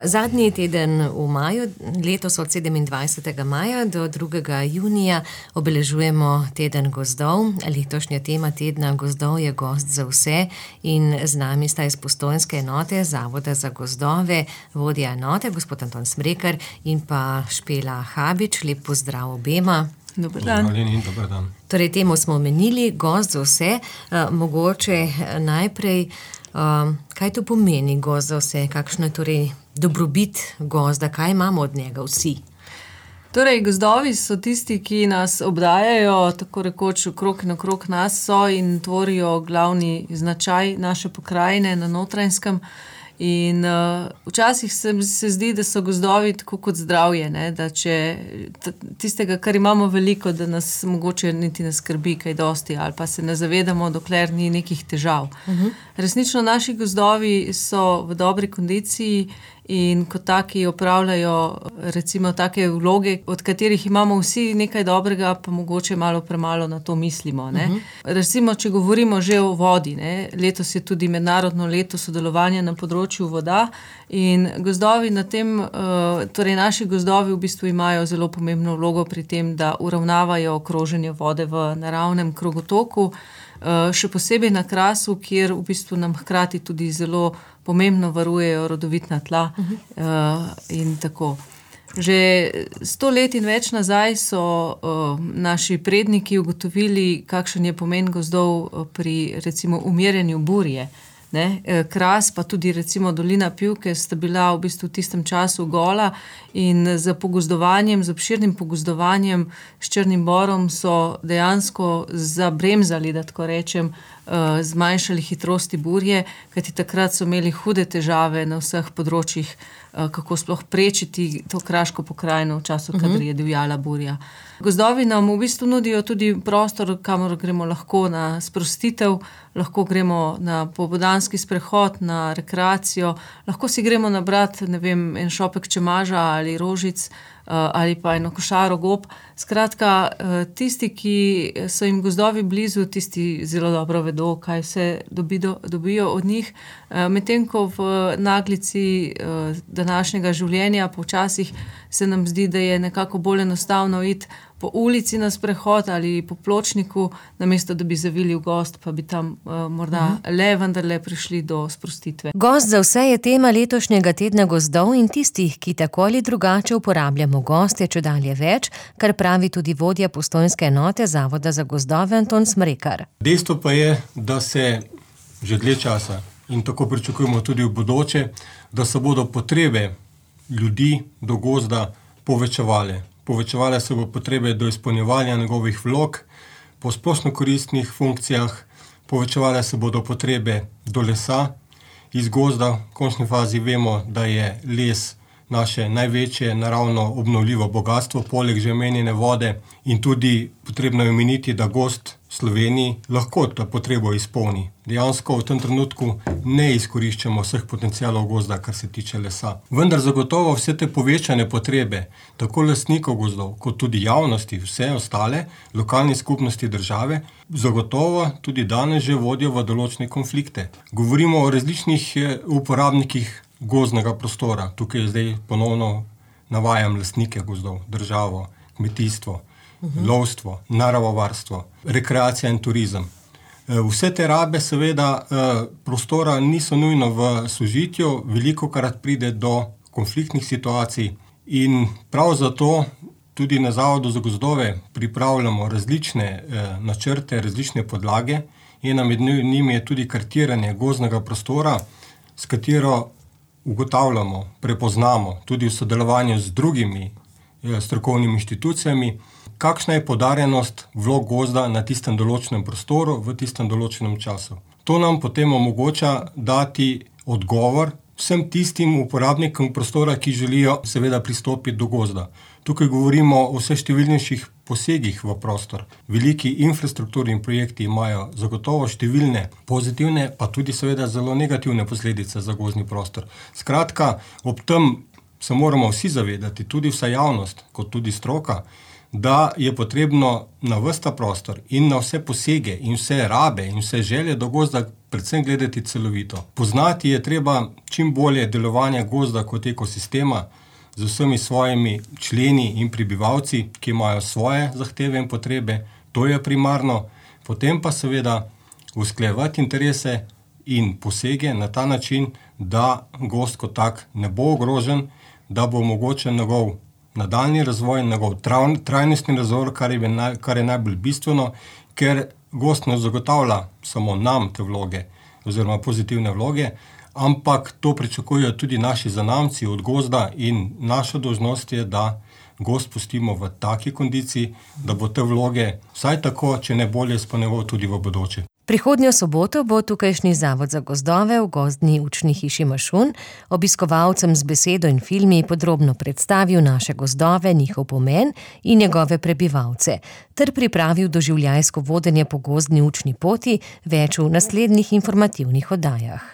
Zadnji teden v maju, letos od 27. maja do 2. junija obeležujemo teden gozdov. Letošnja tema tedna gozdov je Gozd za vse in z nami sta iz Postojnske enote Zavoda za gozdove, vodja enote, gospod Anton Smrekar in pa Špela Habič. Lep pozdrav obema. Dober dan. Dober dan. Torej, temu smo omenili, Gozd za vse. Mogoče najprej, kaj to pomeni Gozd za vse? Kakšno je torej dobrobit gozda, kaj imamo od njega vsi? Torej, gozdovi so tisti, ki nas obdajajo, tako rekoč okrog in okrog nas so in tvorijo glavni značaj naše pokrajine na Notranjskem. In včasih se zdi, da so gozdovi tako kot zdravje, ne? Da če tistega, kar imamo veliko, da nas mogoče niti ne skrbi kaj dosti ali pa se ne zavedamo, dokler ni nekih težav. Resnično naši gozdovi so v dobri kondiciji in kot taki opravljajo recimo take vloge, od katerih imamo vsi nekaj dobrega, pa mogoče malo premalo na to mislimo. Ne? Recimo, če govorimo že o vodi, ne? Letos je tudi mednarodno leto sodelovanja na področju voda in gozdovi na tem, torej naši gozdovi v bistvu imajo zelo pomembno vlogo pri tem, da uravnavajo kroženje vode v naravnem krogotoku, še posebej na Krasu, kjer v bistvu nam hkrati tudi zelo pomembno varujejo rodovitna tla in tako. Že 100 let in več nazaj so naši predniki ugotovili, kakšen je pomen gozdov pri recimo umirjanju burje. Ne? Kras, pa tudi recimo dolina Pivke sta bila v bistvu v tistem času gola in z pogozdovanjem, z obširnim pogozdovanjem s črnim borom so dejansko zabremzali, da tako rečem, zmanjšali hitrosti burje, kajti takrat so imeli hude težave na vseh področjih, kako sploh prečiti to kraško pokrajino v času, kadar je divjala burja. Gozdovi nam v bistvu nudijo tudi prostor, kamor gremo lahko na sprostitev, lahko gremo na popoldanski sprehod, na rekreacijo, lahko si gremo nabrat, ne vem, en šopek čemaža ali rožic, ali pa eno košaro gob. Skratka, tisti, ki so jim gozdovi blizu, tisti zelo dobro vedo, kaj vse dobijo od njih. Medtem ko v naglici današnjega življenja počasih se nam zdi, da je nekako bolj enostavno iti po ulici na sprehod ali po pločniku, namesto da bi zavili v gozd, pa bi tam morda vendarle prišli do sprostitve. Gozd za vse je tema letošnjega tedna gozdov in tistih, ki tako ali drugače uporabljamo gozd, je čedalje več, kar pravi tudi vodja Postojnske enote Zavoda za gozdove Anton Smrekar. Dejstvo pa je, da se že dlje časa in tako pričakujemo tudi v bodoče, da se bodo potrebe ljudi do gozda povečevale. Povečevale se bo potrebe do izpolnjevanja njegovih vlog po splošno koristnih funkcijah, povečevale se bodo potrebe do lesa iz gozda. V končni fazi vemo, da je les naše največje naravno obnovljivo bogatstvo, poleg že omenjene vode, in tudi potrebno je omeniti, da gozd v Sloveniji lahko to potrebo izpolni. Dejansko v tem trenutku ne izkoriščamo vseh potencialov gozda, kar se tiče lesa. Vendar zagotovo vse te povečane potrebe, tako lastnikov gozdov, kot tudi javnosti, vse ostale, lokalne skupnosti države, zagotovo tudi danes že vodijo v določene konflikte. Govorimo o različnih uporabnikih gozdnega prostora. Tukaj zdaj ponovno navajam lastnike gozdov, državo, kmetijstvo, lovstvo, naravovarstvo, rekreacija in turizem. Vse te rabe seveda prostora niso nujno v sožitju, velikokrat pride do konfliktnih situacij in prav zato tudi na Zavodu za gozdove pripravljamo različne načrte, različne podlage. Ena med njimi je tudi kartiranje gozdnega prostora, s katero ugotavljamo, prepoznamo tudi v sodelovanju z drugimi strokovnimi inštitucijami, kakšna je poudarjenost vlog gozda na tistem določenem prostoru v tistem določenem času. To nam potem omogoča dati odgovor vsem tistim uporabnikom prostora, ki želijo seveda pristopiti do gozda. Tukaj govorimo o vse številnejših posegih v prostor. Veliki infrastrukturni projekti imajo zagotovo številne pozitivne, pa tudi seveda zelo negativne posledice za gozdni prostor. Skratka, ob tem se moramo vsi zavedati, tudi vsa javnost, kot tudi stroka, da je potrebno na ves ta prostor in na vse posege in vse rabe in vse želje do gozda predvsem gledati celovito. Poznati je treba čim bolje delovanje gozda kot ekosistema z vsemi svojimi členi in prebivalci, ki imajo svoje zahteve in potrebe, to je primarno, potem pa seveda usklajevati interese in posege na ta način, da gozd kot tak ne bo ogrožen, da bo omogočen njegov nadaljnji razvoj, njegov trajnostni razvoj, kar je najbolj bistveno, ker gozd ne zagotavlja samo nam te vloge oziroma pozitivne vloge, ampak to pričakujejo tudi naši zanamci od gozda in naša dolžnost je, da gozd pustimo v taki kondiciji, da bo te vloge vsaj tako, če ne bolje izpolnjeval tudi v bodoče. Prihodnjo soboto bo tukajšnji Zavod za gozdove v Gozdni učni hiši Mašun obiskovalcem z besedo in filmi podrobno predstavil naše gozdove, njihov pomen in njegove prebivalce, ter pripravil doživljajsko vodenje po gozdni učni poti, več v naslednjih informativnih oddajah.